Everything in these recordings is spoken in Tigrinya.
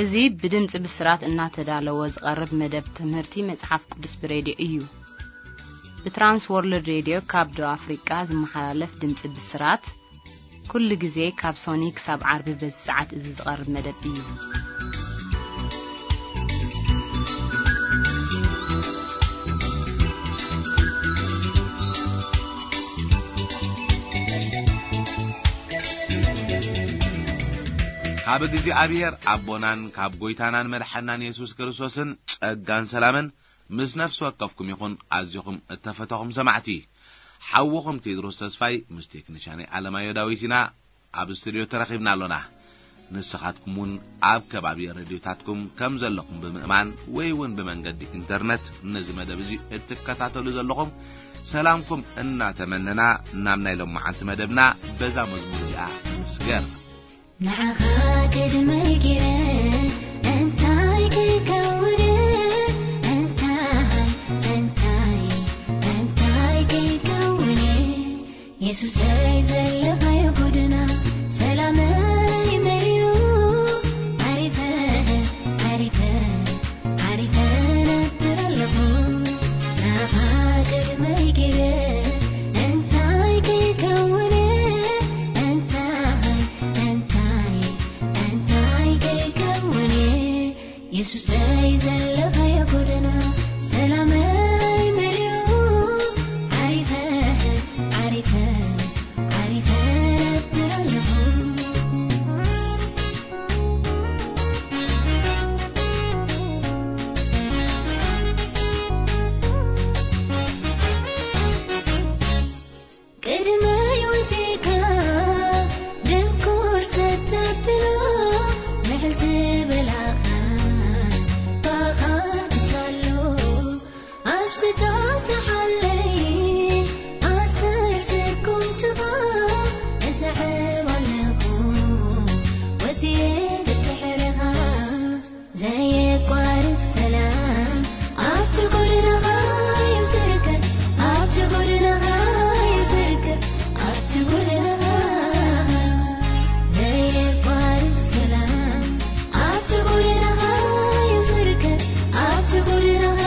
እዚ ብድምጺ ብስራት እናተዳለወ ዝቐርብ መደብ ትምህርቲ መጽሓፍ ቅዱስ ብሬድዮ እዩ። ብትራንስ ወርልድ ሬድዮ ካብ ደቡብ ኣፍሪቃ ዝመሓላለፍ ድምጺ ብስራት፣ ኩሉ ግዜ ካብ ሶኒ ክሳብ ዓርቢ በዚ ሰዓት እዚ ዝቐርብ መደብ እዩ። ካብ እግዚኣብሔር ኣቦናን ካብ ጐይታናን መድሓናን የሱስ ክርስቶስን ጸጋን ሰላምን ምስ ነፍሲ ወከፍኩም ይኹን። ኣዚኹም እተፈተኹም ሰማዕቲ፣ ሓውኹም ቴድሮስ ተስፋይ ምስ ቴክኒሻነይ ኣለማዮ ዳዊት ኢና ኣብ ስቱድዮ ተረኺብና ኣሎና። ንስኻትኩም እውን ኣብ ከባቢ ረድዮታትኩም ከም ዘለኹም ብምእማን ወይ እውን ብመንገዲ ኢንተርነት ነዚ መደብ እዚ እትከታተሉ ዘለኹም ሰላምኩም እናተመነና ናብ ናይ ሎማዓንቲ መደብና በዛ መዝሙር እዚኣ ንስገር። ንዓኻ ቅድመይ ገይረ እንታይ ከይከውን፣ እንታይ፣ እንታይ፣ እንታይ ከይከውን፣ የሱሰይ ዘለኻዮ ጎደና ሰላመይ መሊኡ፣ ዓሪፈ፣ ዓሪፈ፣ ዓሪፈ ነብር ኣለኹ። ንዓኻ ቅድመይ ገይረ እንታይ ከይከውን፣ እንታይ፣ እንታይ፣ እንታይ ከይከውን፣ የሱሰይ ዘለኻዮ ጎደና ሰላመይ መሊኡ፣ ዓሪፈ፣ ዓሪፈ፣ ዓሪፈ ነብር ኣለኹ። ቅድመይ ወጺእካ ድንኩር ሰተብሎ፣ ምሕል ዝበላኻ ባኻ ትሳሎ። ኣብ ስታ ተሓለይ ኣሰር ስጉምትኻ እስዕብ ኣለኹ፣ ወጺኤ ብድሕርኻ። ዘየቋርጽ ሰላም ኣብቲ ጎደናኻ እዩ ዝርከብ፣ ኣብቲ ጎደናኻ እዩ ዝርከብ፣ ኣብቲ ጎደናኻ። ዘየቋርጽ ሰላም ኣብቲ ጎደናኻ እዩ ዝርከብ፣ ኣብቲ ጎደናኻ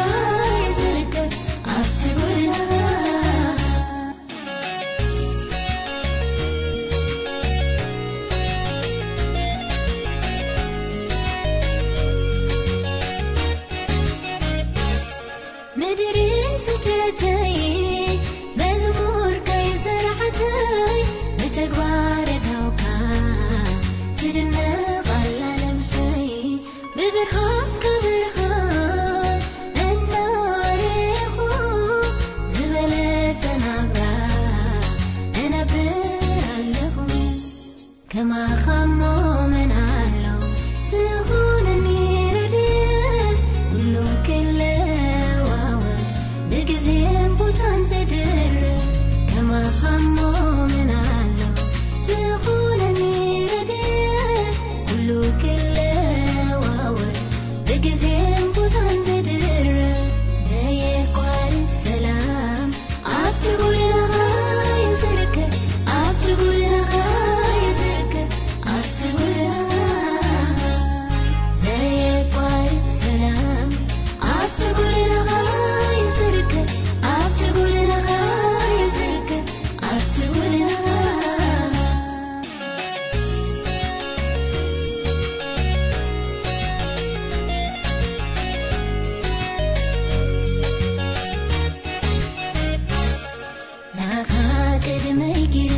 እዩ ዝርከብ፣ ኣብቲ ጎደናኻ። ምድሪ ስደተይ መዝሙር ከይሰርሐተይ ብተግባር እታውካ ትድነቕ ኣላ ነብሰይ። ብብርሃንካ ብርሃን እናረኹ ዝበለጸ ናብራ እነብር ኣለኹ። ከማኻ እሞ መን ኣሎ ዝኾነኒ ረድኤት፣ ኩሉ ክለዋወጥ ብግዜን ቦታን ዝድርብ። ከማኻ እሞ መን ኣሎ ዝኾነኒ ረድኤት፣ ኩሉ ክለዋወጥ ብግዜን ቦታን ዝድርብ። ዘየቋርጽ ሰላም ኣብቲ ጎደናኻ እዩ ዝርከብ፣ ኣብቲ ጎደናኻ እዩ ዝርከብ፣ ኣብቲ ጎደናኻ። ዘየቋርጽ ሰላም ኣብቲ ጎደናኻ እዩ ዝርከብ፣ ኣብቲ ጎደናኻ እዩ ዝርከብ፣ ኣብቲ ጎደናኻ። ንዓኻ ቅድመይ ገይረ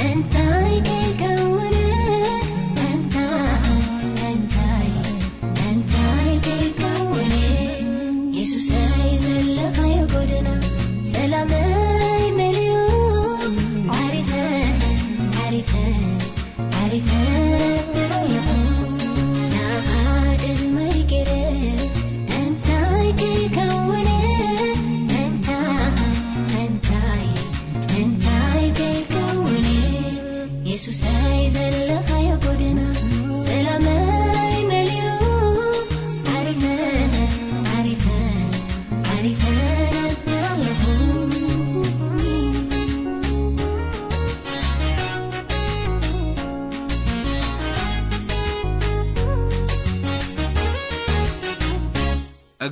እንታይ ከይከውን፣ እንታይ፣ እንታይ፣ እንታይ ከይከውን፣ የሱሰይ ዘለኻዮ ጎደና ሰላመይ መሊኡ፣ ዓሪፈ፣ ዓሪፈ፣ ዓሪፈ ነብር ኣለኹ። ንዓኻ ቅድመይ ገይረ እንታይ ከይከውን፣ እንታይ፣ እንታይ፣ እንታይ ከይከውን፣ የሱሰይ ዘለኻዮ ጎደና ሰላመይ መሊኡ፣ ዓሪፈ፣ ዓሪፈ፣ ዓሪፈ ነብር ኣለኹ።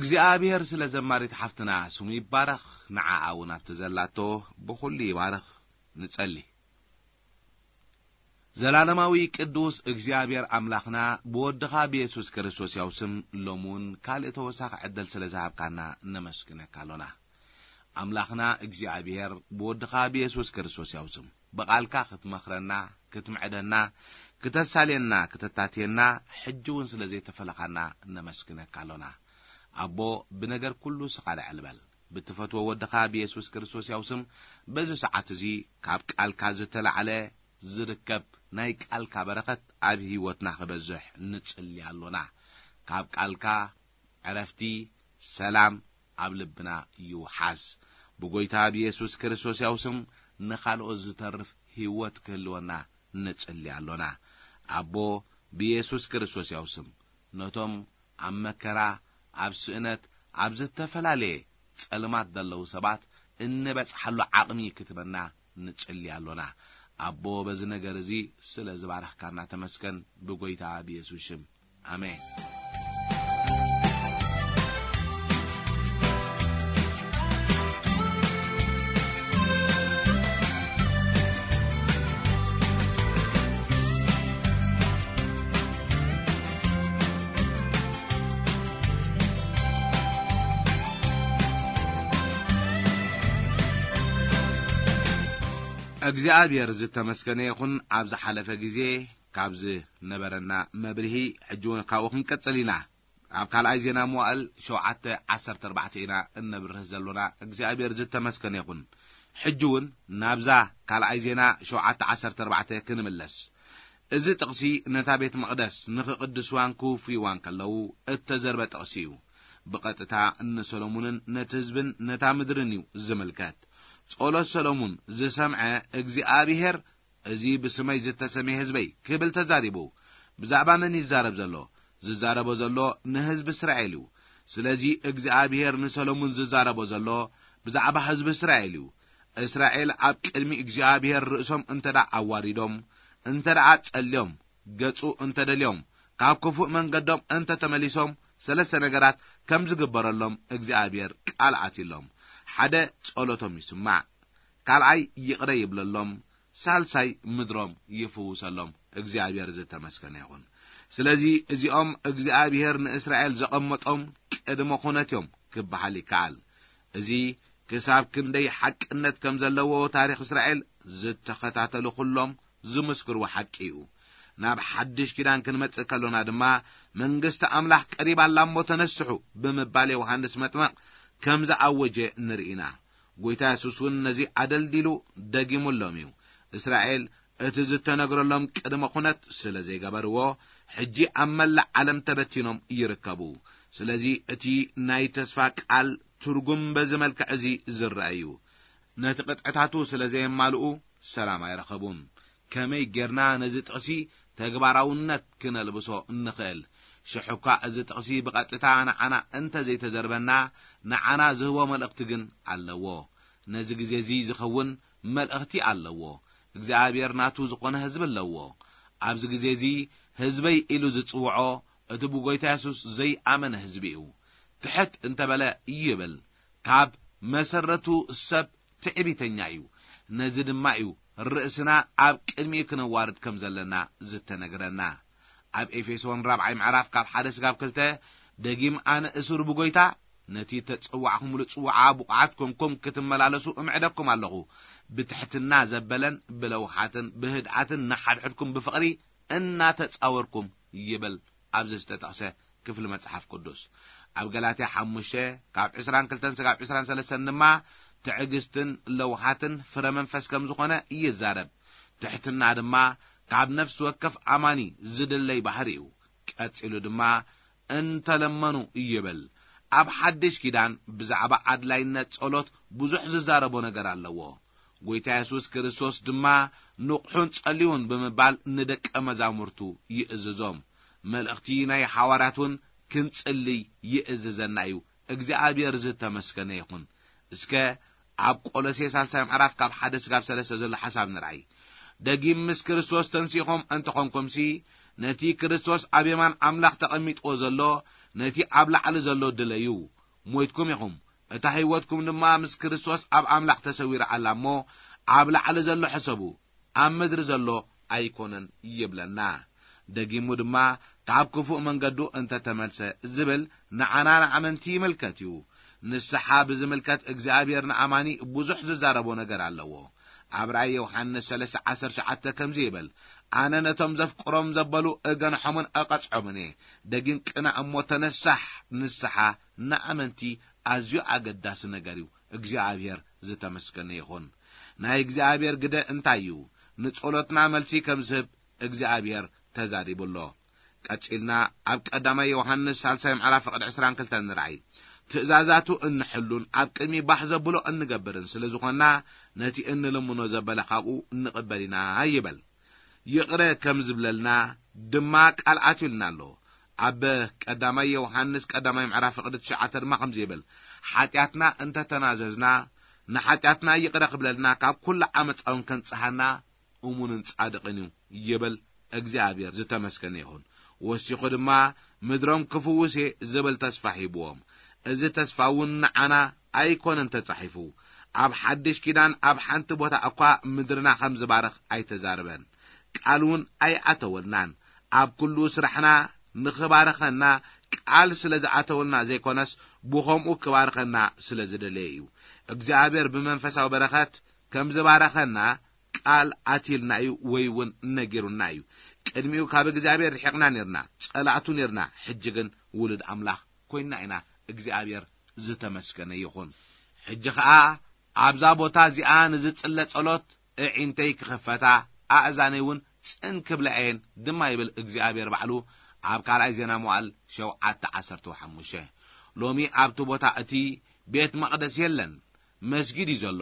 እግዚኣብሔር ስለ ዘማሪት ሓፍትና ስሙ ይባረኽ፣ ንዓኣ እውን ኣብቲ ዘላቶ ብኹሉ ይባረኽ። ንጸሊ። ዘላለማዊ ቅዱስ እግዚኣብሔር ኣምላኽና፣ ብወድኻ ብየሱስ ክርስቶስ ያው ስም ሎሚ እውን ካልእ ተወሳኺ ዕድል ስለ ዝሃብካና ነመስግነካ ኣሎና። ኣምላኽና እግዚኣብሔር፣ ብወድኻ ብየሱስ ክርስቶስ ያው ስም ብቓልካ ክትመኽረና፣ ክትምዕደና፣ ክተሳልየና፣ ክተታትየና፣ ሕጂ እውን ስለ ዘይተፈለኻና ነመስግነካ ኣሎና። ኣቦ፣ ብነገር ኩሉ ስኻ ልዕል በል። ብትፈትዎ ወድኻ ብየሱስ ክርስቶስ ያው ስም በዚ ሰዓት እዚ ካብ ቃልካ ዝተላዕለ ዝርከብ ናይ ቃልካ በረኸት ኣብ ህይወትና ክበዝሕ ንጽሊ ኣሎና። ካብ ቃልካ ዕረፍቲ፣ ሰላም ኣብ ልብና ይውሓስ። ብጎይታ ብየሱስ ክርስቶስ ያው ስም ንኻልኦት ዝተርፍ ህይወት ክህልወና ንጽሊ ኣሎና። ኣቦ፣ ብየሱስ ክርስቶስ ያው ስም ነቶም ኣብ መከራ፣ ኣብ ስእነት፣ ኣብ ዝተፈላለየ ጸልማት ዘለዉ ሰባት እንበጽሓሉ ዓቕሚ ክትበና ንጽሊ ኣሎና። ኣቦ፣ በዚ ነገር እዚ ስለ ዝባረኽካና ተመስገን፣ ብጎይታ ብየሱስ ሽም። ኣሜን። እግዚኣብሔር ዝተመስገነ ይኹን። ኣብ ዝሓለፈ ግዜ ካብ ዝነበረና መብርሂ፣ ሕጂ እውን ካብኡ ክንቀጽል ኢና። ኣብ ካልኣይ ዜና መዋእል ሸውዓተ ዓሰርተ ኣርባዕተ ኢና እነብርህ ዘሎና። እግዚኣብሔር ዝተመስገነ ይኹን። ሕጂ እውን ናብዛ ካልኣይ ዜና ሸውዓተ ዓሰርተ ኣርባዕተ ክንምለስ። እዚ ጥቕሲ ነታ ቤት መቕደስ ንኽቕድስዋን ክውፍይዋን ከለዉ እተዘርበ ጥቕሲ እዩ። ብቐጥታ ንሰሎሙንን ነቲ ህዝብን ነታ ምድርን እዩ ዝምልከት። ጸሎት ሰሎሙን ዝሰምዐ እግዚኣብሔር፣ "እዚ ብስመይ ዝተሰምየ ህዝበይ" ክብል ተዛሪቡ። ብዛዕባ መን ይዛረብ ዘሎ? ዝዛረቦ ዘሎ ንህዝቢ እስራኤል እዩ። ስለዚ እግዚኣብሔር ንሰሎሙን ዝዛረቦ ዘሎ ብዛዕባ ህዝቢ እስራኤል እዩ። እስራኤል ኣብ ቅድሚ እግዚኣብሔር ርእሶም እንተ ደኣ ኣዋሪዶም፣ እንተ ደኣ ጸልዮም፣ ገጹ እንተ ደልዮም፣ ካብ ክፉእ መንገዶም እንተ ተመሊሶም፣ ሰለስተ ነገራት ከም ዝግበረሎም እግዚኣብሔር ቃል ኣትዩሎም። ሓደ፣ ጸሎቶም ይስማዕ። ካልኣይ፣ ይቕረ ይብለሎም። ሳልሳይ፣ ምድሮም ይፍውሰሎም። እግዚኣብሔር ዝተመስገነ ይኹን። ስለዚ እዚኦም እግዚኣብሔር ንእስራኤል ዘቐመጦም ቅድመ ኩነት እዮም ክበሃል ይከኣል። እዚ ክሳብ ክንደይ ሓቅነት ከም ዘለዎ ታሪኽ እስራኤል ዝተኸታተሉ ኩሎም ዝምስክርዎ ሓቂ እዩ። ናብ ሓድሽ ኪዳን ክንመጽእ ከሎና ድማ፣ "መንግስቲ ኣምላኽ ቀሪባ ኣላ እሞ ተነስሑ" ብምባል ዮሃንስ መጥመቕ ከም ዝኣወጀ ንርኢ ኢና። ጎይታ የሱስ እውን ነዚ ኣደልዲሉ ደጊሙሎም እዩ። እስራኤል እቲ ዝተነግረሎም ቅድመ ኩነት ስለ ዘይገበርዎ፣ ሕጂ ኣብ መላእ ዓለም ተበቲኖም ይርከቡ። ስለዚ እቲ ናይ ተስፋ ቃል ትርጉም በዚ መልክዕ እዚ ዝረአ እዩ። ነቲ ቅጥዕታቱ ስለ ዘየማልኡ ሰላም ኣይረኸቡን። ከመይ ጌርና ነዚ ጥቕሲ ተግባራውነት ክነልብሶ እንኽእል? ሽሕ እኳ እዚ ጥቕሲ ብቐጥታ ንዓና እንተ ዘይተዘርበና፣ ንዓና ዝህቦ መልእኽቲ ግን ኣለዎ። ነዚ ግዜ እዚ ዝኸውን መልእኽቲ ኣለዎ። እግዚኣብሔር ናቱ ዝኾነ ህዝቢ ኣለዎ። ኣብዚ ግዜ እዚ ህዝበይ ኢሉ ዝጽውዖ፣ እቲ ብጎይታ የሱስ ዘይኣመነ ህዝቢ እዩ። ትሕት እንተበለ ይብል፣ ካብ መሰረቱ ሰብ ትዕቢተኛ እዩ። ነዚ ድማ እዩ ርእስና ኣብ ቅድሚኡ ክነዋርድ ከም ዘለና ዝተነግረና። ኣብ ኤፌሶን ራብዓይ ምዕራፍ ካብ ሓደ ስጋብ ክልተ፣ ደጊም ኣነ እሱር ብጎይታ፣ ነቲ ተጸዋዕኩምሉ ጽዋዓ ብቑዓት ኮንኩም ክትመላለሱ እምዕደኩም ኣለኹ። ብትሕትና ዘበለን ብለውሃትን ብህድኣትን ንሓድሕድኩም ብፍቕሪ እናተጻወርኩም ይብል ኣብዚ ዝተጠቕሰ ክፍሊ መጽሓፍ ቅዱስ። ኣብ ገላትያ ሓሙሽተ ካብ ዕስራን ክልተን ስጋብ ዕስራን ሰለስተን ድማ ትዕግስትን ለውሃትን ፍረ መንፈስ ከም ዝኾነ ይዛረብ። ትሕትና ድማ ካብ ነፍሲ ወከፍ ኣማኒ ዝድለይ ባህሪ እዩ። ቀጺሉ ድማ እንተለመኑ ይብል። ኣብ ሓድሽ ኪዳን ብዛዕባ ኣድላይነት ጸሎት ብዙሕ ዝዛረቦ ነገር ኣለዎ። ጎይታ የሱስ ክርስቶስ ድማ ንቕሑን ጸልዩን ብምባል ንደቀ መዛሙርቱ ይእዝዞም። መልእኽቲ ናይ ሓዋርያት እውን ክንጽልይ ይእዝዘና እዩ። እግዚኣብሔር ዝተመስገነ ይኹን። እስከ ኣብ ቆሎሴ ሳልሳይ ምዕራፍ ካብ ሓደ ስጋብ ሰለስተ ዘሎ ሓሳብ ንርኣይ። ደጊም ምስ ክርስቶስ ተንሲእኹም እንተኾንኩምሲ፣ ነቲ ክርስቶስ ኣብ የማን ኣምላኽ ተቐሚጥዎ ዘሎ፣ ነቲ ኣብ ላዕሊ ዘሎ ድለዩ። ሞይትኩም ኢኹም፣ እታ ህይወትኩም ድማ ምስ ክርስቶስ ኣብ ኣምላኽ ተሰዊራ ኣላ እሞ፣ ኣብ ላዕሊ ዘሎ ሕሰቡ፣ ኣብ ምድሪ ዘሎ ኣይኮነን ይብለና። ደጊሙ ድማ፣ ካብ ክፉእ መንገዱ እንተተመልሰ ዝብል ንዓና ንኣመንቲ ይምልከት እዩ። ንስሓ ብዝምልከት እግዚኣብሔር ንኣማኒ ብዙሕ ዝዛረቦ ነገር ኣለዎ። ኣብ ራእይ ዮሃንስ ሰለስተ ዓሰርተ ትሽዓተ ከምዚ ይብል፣ "ኣነ ነቶም ዘፍቅሮም ዘበሉ እገንሖምን እቐጽዖምን እየ። ደጊም ቅናእ እሞ ተነሳሕ፣ ንስሓ ንኣመንቲ ኣዝዩ ኣገዳሲ ነገር እዩ። እግዚኣብሔር ዝተመስገነ ይኹን።" ናይ እግዚኣብሔር ግደ እንታይ እዩ? ንጸሎትና መልሲ ከም ዝህብ እግዚኣብሔር ተዛሪቡ ኣሎ። ቀጺልና ኣብ ቀዳማይ ዮሃንስ ሳልሳይ ምዕራፍ ፍቕዲ ዕስራን ክልተን ንርኣይ። ትእዛዛቱ እንሕሉን ኣብ ቅድሚ ባህ ዘብሎ እንገብርን ስለ ዝኾንና፣ ነቲ እንልምኖ ዘበለ ካብኡ እንቕበል ኢና ይበል። ይቕረ ከም ዝብለልና ድማ ቃል ኣትዩልና ኣሎ። ኣብ ቀዳማይ ዮሃንስ ቀዳማይ ምዕራፍ ፍቕዲ ትሽዓተ ድማ ከምዚ ይብል፣ "ሓጢኣትና እንተተናዘዝና፣ ንሓጢኣትና ይቕረ ክብለልና፣ ካብ ኩሉ ዓመፃውን ከንጽሃና እሙንን ጻድቕን እዩ" ይብል። እግዚኣብሔር ዝተመስገነ ይኹን። ወሲኹ ድማ፣ "ምድሮም ክፍውስ እየ" ዝብል ተስፋ ሂብዎም። እዚ ተስፋ እውን ንዓና ኣይኮነን ተጻሒፉ። ኣብ ሓድሽ ኪዳን ኣብ ሓንቲ ቦታ እኳ ምድርና ከም ዝባርኽ ኣይተዛረበን። ቃል እውን ኣይኣተወልናን። ኣብ ኩሉ ስራሕና ንኽባርኸና ቃል ስለ ዝኣተወልና ዘይኮነስ፣ ብኸምኡ ክባርኸና ስለ ዝደለየ እዩ። እግዚኣብሔር ብመንፈሳዊ በረኸት ከም ዝባረኸና ቃል ኣትይልና እዩ፣ ወይ እውን ነጊሩና እዩ። ቅድሚኡ ካብ እግዚኣብሔር ርሒቕና ኔርና፣ ጸላእቱ ኔርና፣ ሕጂ ግን ውሉድ ኣምላኽ ኮይንና ኢና። እግዚኣብሔር ዝተመስገነ ይኹን። ሕጂ ኸኣ ኣብዛ ቦታ እዚኣ ንዝጽለ ጸሎት ኣዒንተይ ክኽፈታ፣ ኣእዛነይ እውን ጽን ክብላ እየን ድማ ይብል እግዚኣብሔር ባዕሉ ኣብ ካልኣይ ዜና መዋዕል ሸውዓተ ዓሰርተ ሓሙሽተ። ሎሚ ኣብቲ ቦታ እቲ ቤት መቕደስ የለን፣ መስጊድ እዩ ዘሎ።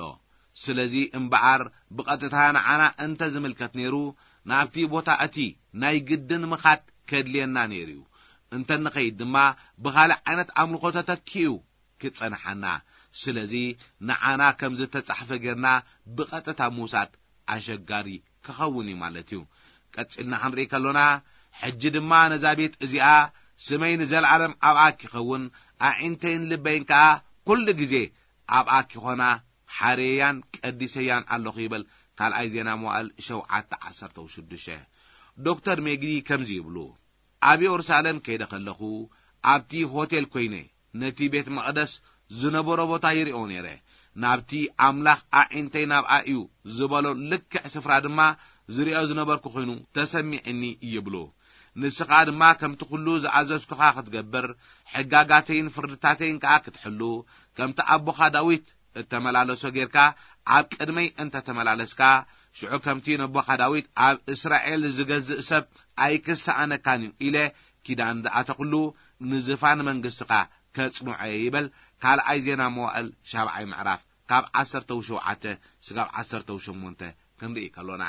ስለዚ እምበኣር ብቐጥታ ንዓና እንተ ዝምልከት ነይሩ፣ ናብቲ ቦታ እቲ ናይ ግድን ምኻድ ከድልየና ነይሩ እዩ። እንተ ንኸይድ ድማ ብኻልእ ዓይነት ኣምልኾ ተተኪኡ ክጸንሓና። ስለዚ ንዓና ከም ዝተጻሕፈ ጌርና ብቐጥታ ምውሳድ ኣሸጋሪ ክኸውን እዩ ማለት እዩ። ቀጺልና ክንርኢ ከሎና፣ "ሕጂ ድማ ነዛ ቤት እዚኣ ስመይ ንዘለኣለም ኣብኣ ኪኸውን፣ ኣዒንተይን ልበይን ከኣ ኩሉ ግዜ ኣብኣ ኪኾና፣ ሓርየያን ቀዲሰያን ኣለኹ" ይብል ካልኣይ ዜና መዋዕል ሸውዓተ ዓሰርተ ሽዱሽተ። ዶክተር ሜግዲ ከምዚ ይብሉ፣ "ኣብ የሩሳሌም ከይደ ከለኹ ኣብቲ ሆቴል ኮይነ ነቲ ቤት መቕደስ ዝነበሮ ቦታ ይሪኦ ነይረ። ናብቲ ኣምላኽ ኣዒንተይ ናብኣ እዩ ዝበሎ ልክዕ ስፍራ ድማ ዝሪኦ ዝነበርኩ ኮይኑ ተሰሚዕኒ" ይብሉ። "ንስኻ ድማ ከምቲ ኩሉ ዝኣዘዝኩኻ ክትገብር፣ ሕጋጋተይን ፍርድታተይን ከኣ ክትሕሉ፣ ከምቲ ኣቦኻ ዳዊት እተመላለሶ ጌርካ ኣብ ቅድመይ እንተ ተመላለስካ፣ ሽዑ ከምቲ ነቦኻ ዳዊት ኣብ እስራኤል ዝገዝእ ሰብ ኣይክሰኣነካን እዩ ኢለ ኪዳን ዝኣተኹሉ፣ ንዝፋን መንግስትኻ ከጽንዖ እየ" ይበል። ካልኣይ ዜና መዋእል ሻብዓይ ምዕራፍ ካብ ዓሰርተ ሸውዓተ ስጋብ ዓሰርተ ሸሞንተ ክንርኢ ከሎና፣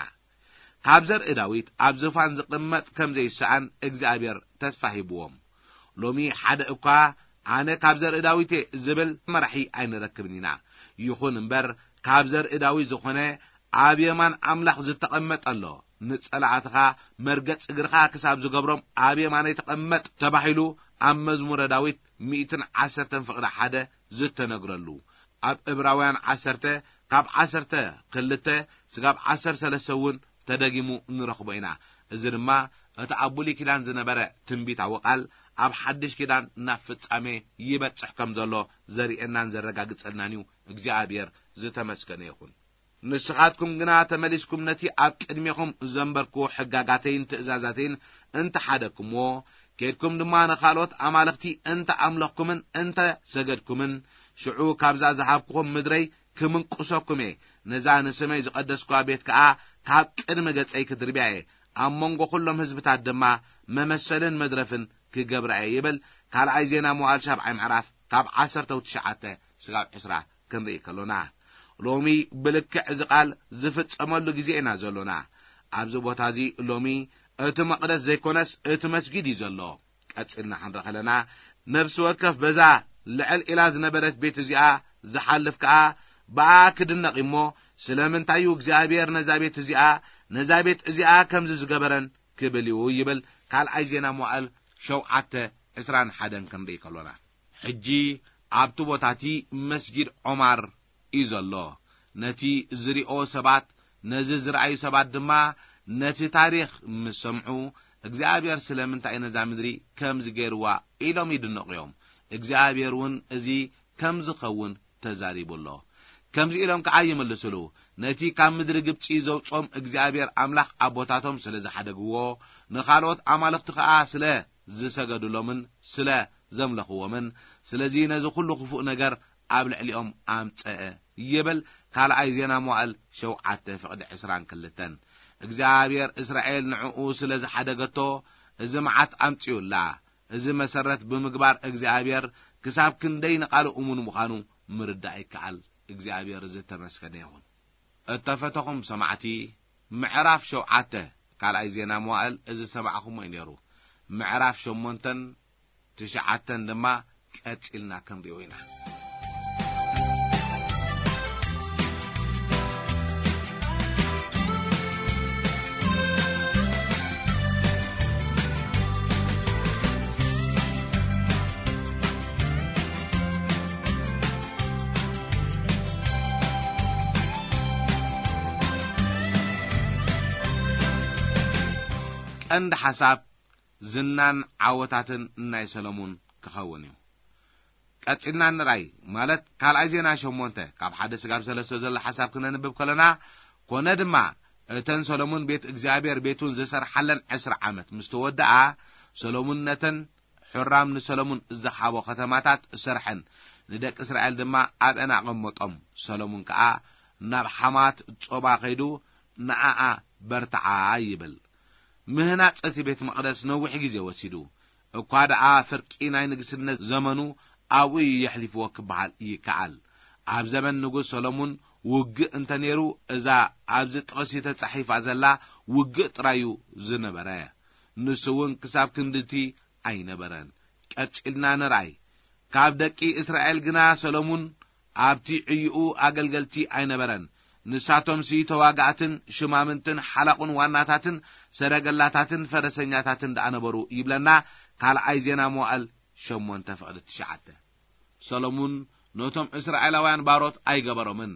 ካብ ዘርኢ ዳዊት ኣብ ዝፋን ዝቕመጥ ከም ዘይሰኣን እግዚኣብሔር ተስፋ ሂብዎም። ሎሚ ሓደ እኳ ኣነ ካብ ዘርኢ ዳዊት እየ ዝብል መራሒ ኣይንረክብን ኢና። ይኹን እምበር፣ ካብ ዘርኢ ዳዊት ዝኾነ ኣብ የማን ኣምላኽ ዝተቐመጠ ኣሎ። ንጸላእትኻ መርገጽ እግርኻ ክሳብ ዝገብሮም ኣብ የማነይ ተቐመጥ ተባሂሉ ኣብ መዝሙረ ዳዊት ሚእትን ዓሰርተን ፍቕዲ ሓደ ዝተነግረሉ። ኣብ ዕብራውያን ዓሰርተ ካብ ዓሰርተ ክልተ ስጋብ ዓሰርተ ሰለስተ እውን ተደጊሙ ንረኽቦ ኢና። እዚ ድማ እቲ ኣብ ብሉይ ኪዳን ዝነበረ ትንቢታዊ ቃል ኣብ ሓድሽ ኪዳን ናብ ፍጻሜ ይበጽሕ ከም ዘሎ ዘርእየናን ዘረጋግጸልናን እዩ። እግዚኣብሔር ዝተመስገነ ይኹን። ንስኻትኩም ግና ተመሊስኩም ነቲ ኣብ ቅድሜኹም ዘንበርኩዎ ሕጋጋተይን ትእዛዛተይን እንተ ሓደግኩምዎ፣ ኬድኩም ድማ ንኻልኦት ኣማልኽቲ እንተ ኣምለኽኩምን እንተ ሰገድኩምን፣ ሽዑ ካብዛ ዝሃብኩኹም ምድረይ ክምንቁሰኩም እየ። ነዛ ንስመይ ዝቐደስኩዋ ቤት ከኣ ካብ ቅድሚ ገጸይ ክድርብያ እየ። ኣብ መንጎ ኵሎም ህዝብታት ድማ መመሰልን መድረፍን ክገብራ እየ ይብል ካልኣይ ዜና መዋዕል ሻብዓይ ምዕራፍ ካብ ዓሰርተ ትሽዓተ ስጋብ ዕስራ ክንርኢ ከሎና፣ ሎሚ ብልክዕ እዚ ቃል ዝፍጸመሉ ግዜ ኢና ዘሎና። ኣብዚ ቦታ እዚ ሎሚ እቲ መቕደስ ዘይኮነስ እቲ መስጊድ እዩ ዘሎ። ቀጺልና ክንርኢ ከለና፣ ነፍሲ ወከፍ በዛ ልዕል ኢላ ዝነበረት ቤት እዚኣ ዝሓልፍ ከኣ ብኣ ክድነቕ እሞ፣ ስለምንታይ እዩ እግዚኣብሔር ነዛ ቤት እዚኣ፣ ነዛ ቤት እዚኣ ከምዚ ዝገበረን ክብል እዩ ይብል ካልኣይ ዜና መዋዕል ሸውዓተ ዕስራን ሓደን ክንርኢ ከሎና። ሕጂ ኣብቲ ቦታ እቲ መስጊድ ዖማር እዩ ዘሎ። ነቲ ዝሪኦ ሰባት፣ ነዚ ዝረኣዩ ሰባት ድማ፣ ነቲ ታሪኽ ምስ ሰምዑ፣ እግዚኣብሔር ስለምንታይ ነዛ ምድሪ ከምዚ ገይርዋ ኢሎም ይድነቑ እዮም። እግዚኣብሔር እውን እዚ ከም ዝኸውን ተዛሪቡ ኣሎ። ከምዚ ኢሎም ከዓ ይምልስሉ፣ ነቲ ካብ ምድሪ ግብፂ ዘውፅኦም እግዚኣብሔር ኣምላኽ ኣቦታቶም ስለ ዝሓደግዎ፣ ንኻልኦት ኣማልኽቲ ከዓ ስለ ዝሰገዱሎምን ስለ ዘምለኽዎምን፣ ስለዚ ነዚ ኩሉ ክፉእ ነገር ኣብ ልዕሊኦም ኣምፀአ ይብል ካልኣይ ዜና መዋእል ሸውዓተ ፍቕዲ ዕስራን ክልተን። እግዚኣብሔር እስራኤል ንዕኡ ስለ ዝሓደገቶ፣ እዚ መዓት ኣምፂኡላ። እዚ መሰረት ብምግባር እግዚኣብሔር ክሳብ ክንደይ ንቓሉ እሙን ምዃኑ ምርዳእ ይከኣል። እግዚኣብሔር ዝተመስገነ ይኹን። እተፈተኹም ሰማዕቲ፣ ምዕራፍ ሸውዓተ ካልኣይ ዜና መዋእል እዚ ዝሰማዕኹሞ እዩ ነይሩ። ምዕራፍ ሸሞንተን ትሽዓተን ድማ ቀጺልና ክንሪኦ ኢና። ቀንዲ ሓሳብ ዝናን ዓወታትን ናይ ሰሎሙን ክኸውን እዩ። ቀጺልና ንርኣይ፣ ማለት ካልኣይ ዜና ሸሞንተ ካብ ሓደ ስጋብ ሰለስተ ዘሎ ሓሳብ ክነንብብ ከለና፣ ኮነ ድማ እተን ሰሎሙን ቤት እግዚኣብሔር ቤቱን ዝሰርሓለን ዕስራ ዓመት ምስ ተወድኣ፣ ሰሎሙን ነተን ሑራም ንሰሎሙን ዝሃቦ ከተማታት ሰርሐን፣ ንደቂ እስራኤል ድማ ኣብአን ኣቐመጦም። ሰሎሙን ከኣ ናብ ሓማት ጾባ ኸይዱ ንኣኣ በርትዓ ይብል። ምህናጽ እቲ ቤት መቕደስ ነዊሕ ግዜ ወሲዱ። እኳ ደኣ ፍርቂ ናይ ንግስነት ዘመኑ ኣብኡ እዩ የሕሊፍዎ ክበሃል ይከኣል። ኣብ ዘመን ንጉስ ሰሎሙን ውግእ እንተ ነይሩ፣ እዛ ኣብዚ ጥቕሲ ተጻሒፋ ዘላ ውግእ ጥራይ እዩ ዝነበረ። ንሱ እውን ክሳብ ክንድቲ ኣይነበረን። ቀጺልና ንርኣይ። ካብ ደቂ እስራኤል ግና ሰሎሙን ኣብቲ ዕዩኡ ኣገልገልቲ ኣይነበረን። ንሳቶምሲ ተዋጋእትን ሽማምንትን ሓላቑን ዋናታትን ሰረገላታትን ፈረሰኛታትን ደኣ ነበሩ ይብለና ካልኣይ ዜና መዋእል ሸሞንተ ፍቕዲ ትሽዓተ። ሰሎሙን ነቶም እስራኤላውያን ባሮት ኣይገበሮምን።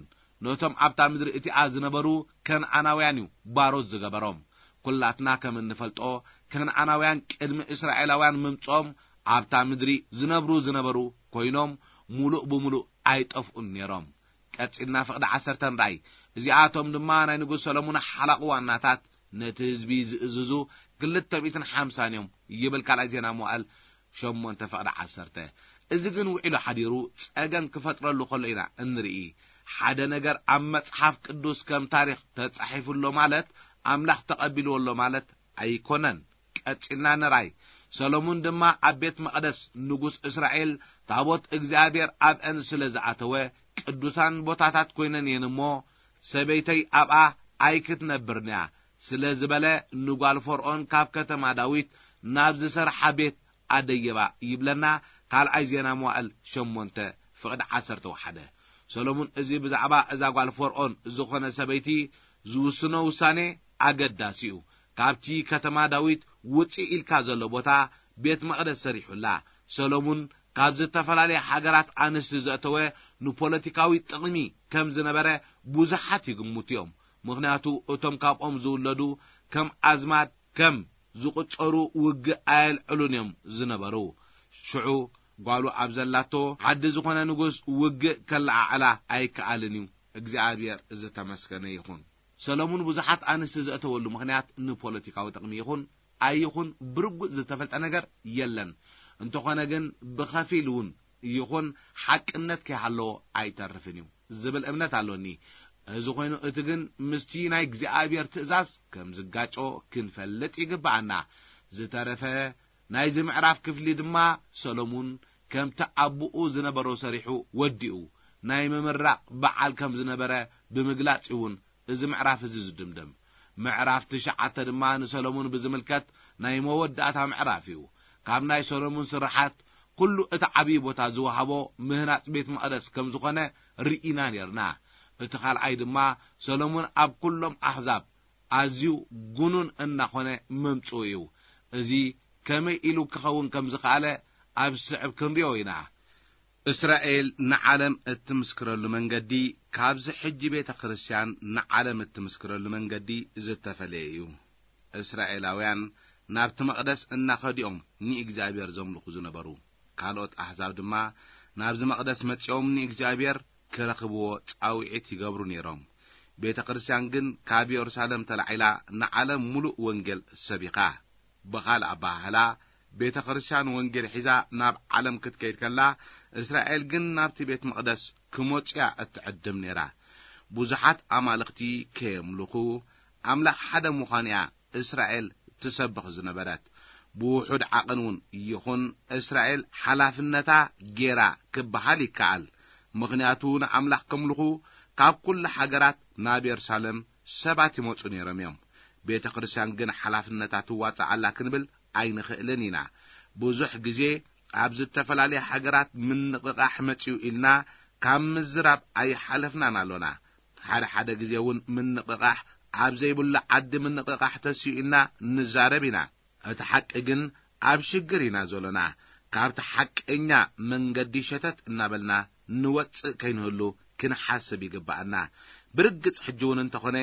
ነቶም ኣብታ ምድሪ እቲኣ ዝነበሩ ከነኣናውያን እዩ ባሮት ዝገበሮም። ኩላትና ከም እንፈልጦ፣ ከነኣናውያን ቅድሚ እስራኤላውያን ምምጽኦም ኣብታ ምድሪ ዝነብሩ ዝነበሩ ኮይኖም፣ ሙሉእ ብሙሉእ ኣይጠፍኡን ነይሮም። ቀጺልና ፍቕዲ ዓሰርተ ንርኣይ። እዚኣቶም ድማ ናይ ንጉስ ሰሎሙን ሓላቑ ዋናታት፣ ነቲ ህዝቢ ዝእዝዙ ክልተ ሚእትን ሓምሳን እዮም ይብል ካልኣይ ዜና መዋእል ሸሞንተ ፍቕዲ ዓሰርተ። እዚ ግን ውዒሉ ሓዲሩ ጸገም ክፈጥረሉ ከሎ ኢና እንርኢ። ሓደ ነገር ኣብ መጽሓፍ ቅዱስ ከም ታሪኽ ተጻሒፉ ኣሎ ማለት ኣምላኽ ተቐቢልዎ ኣሎ ማለት ኣይኮነን። ቀጺልና ንርኣይ። ሰሎሙን ድማ ኣብ ቤት መቕደስ ንጉስ እስራኤል ታቦት እግዚኣብሔር ኣብአን ስለ ዝኣተወ ቅዱሳን ቦታታት ኮይነን እየን እሞ ሰበይተይ ኣብኣ ኣይክትነብርንያ ስለ ዝበለ ንጓል ፈርዖን ካብ ከተማ ዳዊት ናብ ዝሰርሓ ቤት ኣደየባ ይብለና ካልኣይ ዜና መዋእል ሸሞንተ ፍቕዲ ዓሰርተ ወሓደ። ሰሎሙን እዚ ብዛዕባ እዛ ጓል ፈርዖን ዝኾነ ሰበይቲ ዝውስኖ ውሳኔ ኣገዳሲ እዩ። ካብቲ ከተማ ዳዊት ውፅእ ኢልካ ዘሎ ቦታ ቤት መቕደስ ሰሪሑላ። ሰሎሙን ካብ ዝተፈላለያ ሃገራት ኣንስቲ ዘእተወ ንፖለቲካዊ ጥቕሚ ከም ዝነበረ ብዙሓት ይግምቱ እዮም። ምኽንያቱ እቶም ካብኦም ዝውለዱ ከም ኣዝማድ ከም ዝቑጸሩ ውግእ ኣየልዕሉን እዮም ዝነበሩ። ሽዑ ጓሉ ኣብ ዘላቶ ዓዲ ዝኾነ ንጉስ ውግእ ከለዓዕላ ኣይከኣልን እዩ። እግዚኣብሔር ዝተመስገነ ይኹን። ሰሎሙን ብዙሓት ኣንስቲ ዘእተወሉ ምኽንያት ንፖለቲካዊ ጥቕሚ ይኹን ኣይኹን ብርጉጽ ዝተፈልጠ ነገር የለን። እንተኾነ ግን ብኸፊል እውን ይኹን ሓቅነት ከይሃለዎ ኣይተርፍን እዩ ዝብል እምነት ኣሎኒ። እዚ ኮይኑ እቲ ግን ምስቲ ናይ እግዚኣብሔር ትእዛዝ ከም ዝጋጮ ክንፈልጥ ይግብኣና። ዝተረፈ ናይዚ ምዕራፍ ክፍሊ ድማ ሰሎሙን ከምቲ ኣቦኡ ዝነበሮ ሰሪሑ ወዲኡ ናይ ምምራቕ በዓል ከም ዝነበረ ብምግላጽ እውን እዚ ምዕራፍ እዚ ዝድምደም። ምዕራፍ ትሽዓተ ድማ ንሰሎሙን ብዝምልከት ናይ መወዳእታ ምዕራፍ እዩ። ካብ ናይ ሰሎሙን ስርሓት ኩሉ እቲ ዓብዪ ቦታ ዝወሃቦ ምህናጽ ቤት መቕደስ ከም ዝኾነ ርኢና ኔርና። እቲ ካልኣይ ድማ ሰሎሙን ኣብ ኩሎም ኣህዛብ ኣዝዩ ጉኑን እናኾነ ምምጽኡ እዩ። እዚ ከመይ ኢሉ ክኸውን ከም ዝኸኣለ ኣብ ዝስዕብ ክንሪኦ ኢና። እስራኤል ንዓለም እትምስክረሉ መንገዲ ካብዚ ሕጂ ቤተ ክርስቲያን ንዓለም እትምስክረሉ መንገዲ ዝተፈለየ እዩ። እስራኤላውያን ናብቲ መቕደስ እናኸዲኦም ንእግዚኣብሔር ዘምልኹ ዝነበሩ፣ ካልኦት ኣሕዛብ ድማ ናብዚ መቕደስ መጺኦም ንእግዚኣብሔር ክረኽብዎ ጻውዒት ይገብሩ ነይሮም። ቤተ ክርስቲያን ግን ካብ የሩሳሌም ተላዒላ ንዓለም ሙሉእ ወንጌል ሰቢኻ። ብኻልእ ኣበሃህላ፣ ቤተ ክርስቲያን ወንጌል ሒዛ ናብ ዓለም ክትከይድ ከላ፣ እስራኤል ግን ናብቲ ቤት መቕደስ ክመጹ እያ እትዕድም ነይራ። ብዙሓት ኣማልኽቲ ከየምልኹ፣ ኣምላኽ ሓደ ምዃኑ እያ እስራኤል ትሰብኽ ዝነበረት። ብውሑድ ዓቐን እውን ይኹን፣ እስራኤል ሓላፍነታ ጌራ ክበሃል ይከኣል። ምኽንያቱ ንኣምላኽ ከምልኹ ካብ ኩሉ ሃገራት ናብ የሩሳሌም ሰባት ይመጹ ነይሮም እዮም። ቤተ ክርስቲያን ግን ሓላፍነታ ትዋጻእ ኣላ ክንብል ኣይንኽእልን ኢና። ብዙሕ ግዜ ኣብ ዝተፈላለያ ሃገራት ምንቕቓሕ መጺኡ ኢልና ካብ ምዝራብ ኣይሓለፍናን ኣሎና። ሓደ ሓደ ግዜ እውን ምንቕቓሕ ኣብ ዘይብሉ ዓዲ ምንቕቓሕ ተስዩ ኢልና ንዛረብ ኢና። እቲ ሓቂ ግን ኣብ ሽግር ኢና ዘሎና። ካብቲ ሓቀኛ መንገዲ ሸተት እናበልና ንወጽእ ከይንህሉ ክንሓስብ ይግባኣና። ብርግጽ ሕጂ እውን እንተኾነ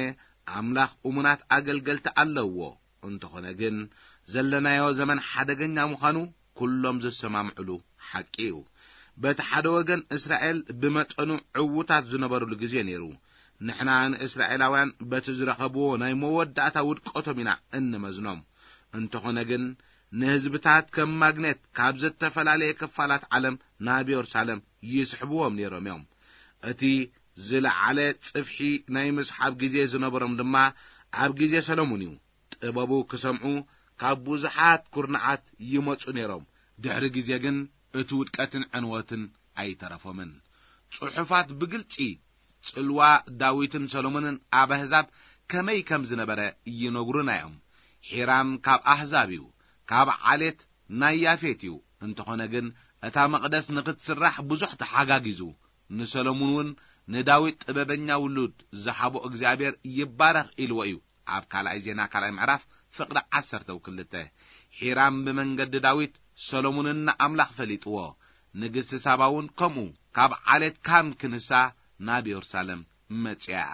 ኣምላኽ እሙናት ኣገልገልቲ ኣለውዎ። እንተኾነ ግን ዘለናዮ ዘመን ሓደገኛ ምዃኑ ኩሎም ዝሰማምዕሉ ሓቂ እዩ። በቲ ሓደ ወገን እስራኤል ብመጠኑ ዕዉታት ዝነበሩሉ ግዜ ነይሩ። ንሕና ንእስራኤላውያን በቲ ዝረኸብዎ ናይ መወዳእታ ውድቀቶም ኢና እንመዝኖም። እንተኾነ ግን ንህዝብታት ከም ማግኔት ካብ ዝተፈላለየ ክፋላት ዓለም ናብ የሩሳሌም ይስሕብዎም ነይሮም እዮም። እቲ ዝለዓለ ጽፍሒ ናይ ምስሓብ ግዜ ዝነበሮም ድማ ኣብ ግዜ ሰሎሙን እዩ። ጥበቡ ክሰምዑ ካብ ብዙሓት ኩርናዓት ይመጹ ነይሮም። ድሕሪ ግዜ ግን እቲ ውድቀትን ዕንወትን ኣይተረፎምን። ጽሑፋት ብግልጺ ጽልዋ ዳዊትን ሰሎሞንን ኣብ ኣህዛብ ከመይ ከም ዝነበረ ይነግሩና እዮም። ሒራም ካብ ኣህዛብ እዩ፣ ካብ ዓሌት ናይ ያፌት እዩ። እንተኾነ ግን እታ መቕደስ ንኽትስራሕ ብዙሕ ተሓጋጊዙ፣ ንሰሎሙን እውን ንዳዊት ጥበበኛ ውሉድ ዝሃቦ እግዚኣብሔር ይባረኽ ኢልዎ እዩ። ኣብ ካልኣይ ዜና ካልኣይ ምዕራፍ ፍቕዲ ዓሰርተ ክልተ። ሒራም ብመንገዲ ዳዊት ሰሎሙንን ንኣምላኽ ፈሊጥዎ። ንግስቲ ሳባ እውን ከምኡ ካብ ዓሌት ካም ክንሳ ናብ የሩሳሌም መጺኣ እያ።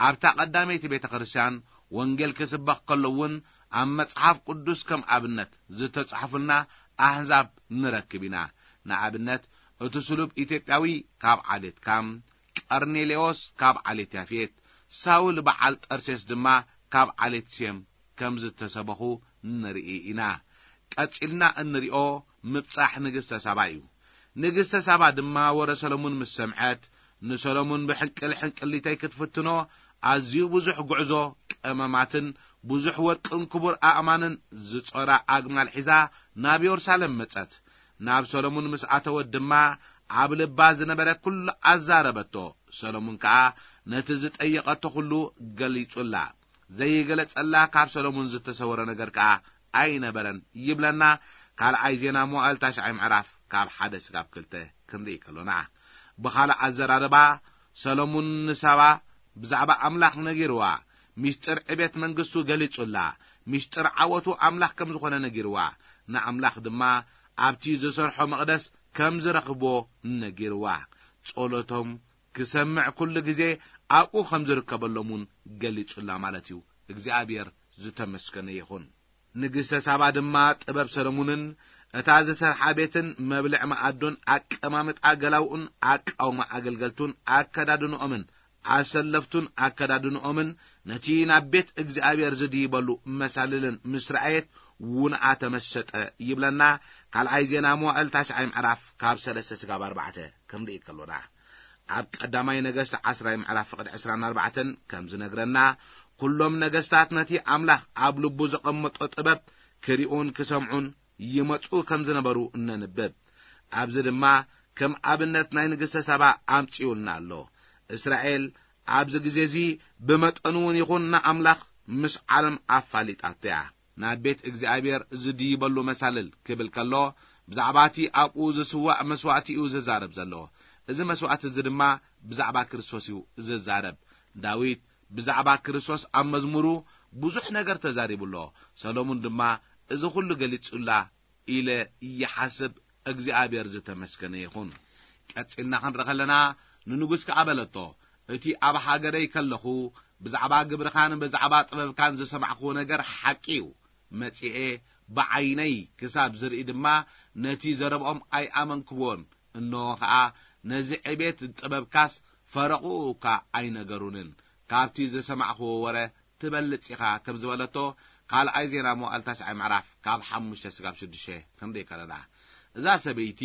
ኣብታ ቀዳመይቲ ቤተ ክርስቲያን ወንጌል ክስበኽ ከሎ እውን ኣብ መጽሓፍ ቅዱስ ከም ኣብነት ዝተጻሕፉልና ኣህዛብ ንረክብ ኢና። ንኣብነት እቲ ስሉብ ኢትዮጵያዊ ካብ ዓሌት ካም፣ ቀርኔሌዎስ ካብ ዓሌት ያፌት፣ ሳውል በዓል ጠርሴስ ድማ ካብ ዓሌት ሴም ከም ዝተሰበኹ ንርኢ ኢና። ቀጺልና እንሪኦ ምብጻሕ ንግስተ ሳባ እዩ። ንግስተ ሳባ ድማ ወረ ሰሎሙን ምስ ሰምዐት፣ ንሰሎሙን ብሕንቅል ሕንቅሊተይ ክትፍትኖ ኣዝዩ ብዙሕ ጉዕዞ ቀመማትን ብዙሕ ወርቅን ክቡር ኣእማንን ዝጾራ ኣግማል ሒዛ ናብ የሩሳሌም መጸት። ናብ ሰሎሙን ምስ ኣተወት ድማ ኣብ ልባ ዝነበረ ኩሉ ኣዛረበቶ። ሰሎሙን ከኣ ነቲ ዝጠየቐቶ ኩሉ ገሊጹላ። ዘይገለጸላ ካብ ሰሎሙን ዝተሰወረ ነገር ከኣ ኣይነበረን ይብለና። ካልኣይ ዜና መዋእል ታሽዓይ ምዕራፍ ካብ ሓደ ስጋብ ክልተ ክንርኢ ከሎና፣ ብኻልእ ኣዘራርባ ሰሎሙን ንሳባ ብዛዕባ ኣምላኽ ነጊርዋ። ሚስጥር ዕቤት መንግስቱ ገሊጹላ። ሚስጥር ዓወቱ ኣምላኽ ከም ዝኾነ ነጊርዋ። ንኣምላኽ ድማ ኣብቲ ዝሰርሖ መቕደስ ከም ዝረኽብዎ ነጊርዋ። ጸሎቶም ክሰምዕ ኩሉ ግዜ ኣብኡ ከም ዝርከበሎም እውን ገሊጹላ ማለት እዩ። እግዚኣብሔር ዝተመስገነ ይኹን። ንግስተ ሳባ ድማ ጥበብ ሰሎሙንን እታ ዝሰርሓ ቤትን መብልዕ መኣዱን ኣቀማምጣ ገላውኡን ኣቃውማ ኣገልገልቱን ኣከዳድንኦምን ኣሰለፍቱን ኣከዳድንኦምን ነቲ ናብ ቤት እግዚኣብሔር ዝድይበሉ መሳልልን ምስ ረኣየት ውንኣ ተመሰጠ ይብለና። ካልኣይ ዜና መዋእል ታሽዓይ ምዕራፍ ካብ ሰለስተ ስጋብ ኣርባዕተ ክንርኢ ከሎና፣ ኣብ ቀዳማይ ነገስት ዓስራይ ምዕራፍ ፍቕዲ ዕስራን ኣርባዕተን ከም ዝነግረና፣ ኩሎም ነገስታት ነቲ ኣምላኽ ኣብ ልቡ ዘቐመጦ ጥበብ ክሪኡን ክሰምዑን ይመጹ ከም ዝነበሩ እነንብብ። ኣብዚ ድማ ከም ኣብነት ናይ ንግስተ ሳባ ኣምጺኡልና ኣሎ። እስራኤል ኣብዚ ግዜ እዚ ብመጠኑ እውን ይኹን ንኣምላኽ ምስ ዓለም ኣፋሊጣቶ እያ። ናብ ቤት እግዚኣብሔር ዝድይበሉ መሳልል ክብል ከሎ፣ ብዛዕባ እቲ ኣብኡ ዝስዋእ መስዋእቲ እዩ ዝዛረብ ዘሎ። እዚ መስዋእቲ እዚ ድማ ብዛዕባ ክርስቶስ እዩ ዝዛረብ። ዳዊት ብዛዕባ ክርስቶስ ኣብ መዝሙሩ ብዙሕ ነገር ተዛሪቡ ኣሎ። ሰሎሙን ድማ እዚ ኹሉ ገሊጹላ ኢለ ይሓስብ። እግዚኣብሔር ዝተመስገነ ይኹን። ቀጺልና ክንርኢ ከለና፣ ንንጉስ ከኣ በለቶ፣ "እቲ ኣብ ሃገረይ ከለኹ ብዛዕባ ግብርኻን ብዛዕባ ጥበብካን ዝሰማዕክዎ ነገር ሓቂ እዩ። መጺኤ ብዓይነይ ክሳብ ዝርኢ ድማ ነቲ ዘረብኦም ኣይኣመንክዎን። እንሆ ኸኣ ነዚ ዕቤት ጥበብካስ ፈረቑ እኳ ኣይነገሩንን። ካብቲ ዝሰማዕክዎ ወረ ትበልጽ ኢኻ" ከም ዝበለቶ፣ ካልኣይ ዜና መዋዕል ታሽዓይ ምዕራፍ ካብ ሓሙሽተ ስጋብ ሽዱሽተ ክንርኢ ከለና፣ እዛ ሰበይቲ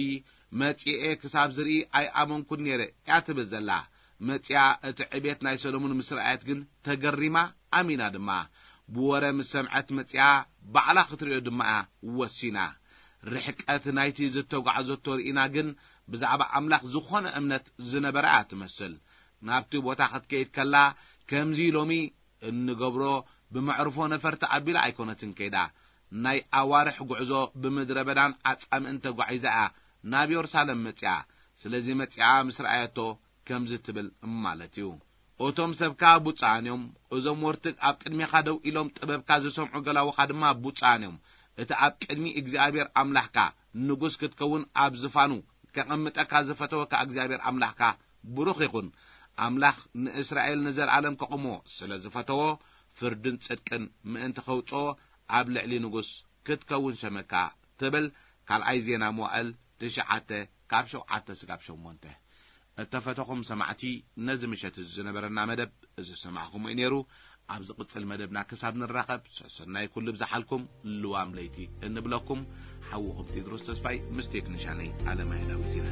መጺኤ ክሳብ ዝርኢ ኣይኣመንኩን ነይረ እያ ትብል ዘላ። መጺኣ እቲ ዕቤት ናይ ሰሎሞን ምስ ረኣየት ግን ተገሪማ፣ ኣሚና ድማ። ብወረ ምስ ሰምዐት መጺኣ ባዕላ ክትርእዮ ድማ እያ ወሲና። ርሕቀት ናይቲ ዝተጓዕዘቶ ርኢና ግን ብዛዕባ ኣምላኽ ዝኾነ እምነት ዝነበራ እያ ትመስል። ናብቲ ቦታ ክትከይድ ከላ ከምዚ ሎሚ እንገብሮ ብመዕርፎ ነፈርቲ ኣቢላ ኣይኮነትን ከይዳ። ናይ ኣዋርሕ ጉዕዞ ብምድረ በዳን ኣጻምእን ተጓዒዛ እያ ናብ የሩሳሌም መጺኣ። ስለዚ መጺኣ ምስ ረኣየቶ ከምዚ ትብል ማለት እዩ። "እቶም ሰብካ ብፁዓን እዮም፣ እዞም ወርትግ ኣብ ቅድሜኻ ደው ኢሎም ጥበብካ ዝሰምዑ ገላውኻ ድማ ብፁዓን እዮም። እቲ ኣብ ቅድሚ እግዚኣብሔር ኣምላኽካ ንጉስ ክትከውን ኣብ ዝፋኑ ከቐምጠካ ዝፈተወካ እግዚኣብሔር ኣምላኽካ ብሩኽ ይኹን። ኣምላኽ ንእስራኤል ንዘለኣለም ከቕሞ ስለ ዝፈተዎ፣ ፍርድን ጽድቅን ምእንቲ ከውጽኦ ኣብ ልዕሊ ንጉስ ክትከውን ሸመካ" ትብል። ካልኣይ ዜና መዋዕል ትሽዓተ ካብ ሸውዓተ ስጋብ ሸሞንተ። እተፈተኹም ሰማዕቲ፣ ነዚ ምሸት እዚ ዝነበረና መደብ እዚ ዝሰማዕኹምዎ እዩ ነይሩ። ኣብ ዝቕጽል መደብና ክሳብ ንራኸብ፣ ሰሰናይ ኩሉ ብዝሓልኩም ልዋም ለይቲ እንብለኩም። ሓውኹም ቴድሮስ ተስፋይ ምስ ቴክኒሻነይ ኣለማየ ዳዊት ኢና።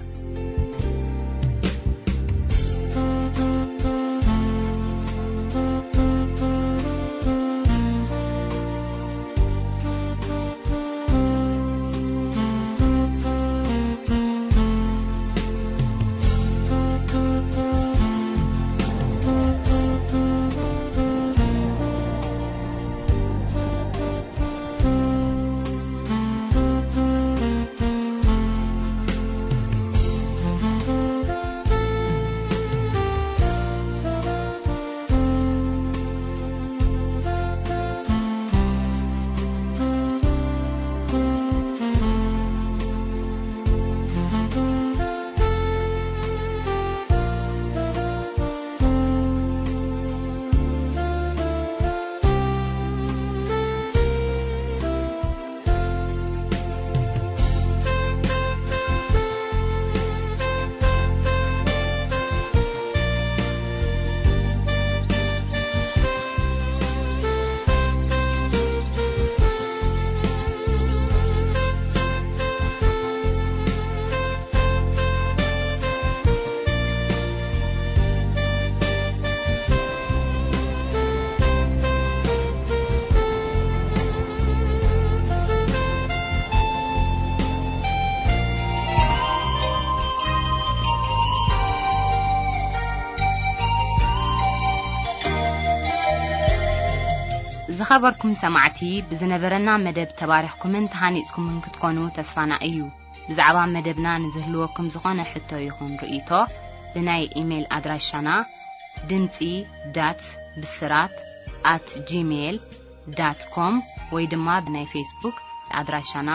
ዝኸበርኩም ሰማዕቲ፣ ብዝነበረና መደብ ተባሪኽኩምን ተሃኒጽኩምን ክትኮኑ ተስፋና እዩ። ብዛዕባ መደብና ንዝህልወኩም ዝኾነ ሕቶ ይኹን ርእይቶ፣ ብናይ ኢሜይል ኣድራሻና ድምጺ ዳት ብስራት ኣት ጂሜይል ዳት ኮም ወይ ድማ ብናይ ፌስቡክ ኣድራሻና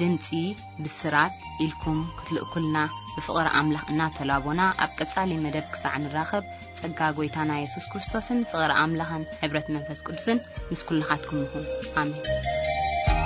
ድምጺ ብስራት ኢልኩም ክትልእኩልና ብፍቕሪ ኣምላኽ እናተላቦና፣ ኣብ ቀጻሊ መደብ ክሳዕ ንራኸብ፣ ጸጋ ጐይታና የሱስ ክርስቶስን ፍቕሪ ኣምላኽን ሕብረት መንፈስ ቅዱስን ምስ ኩልኻትኩም ይኹን። ኣሜን።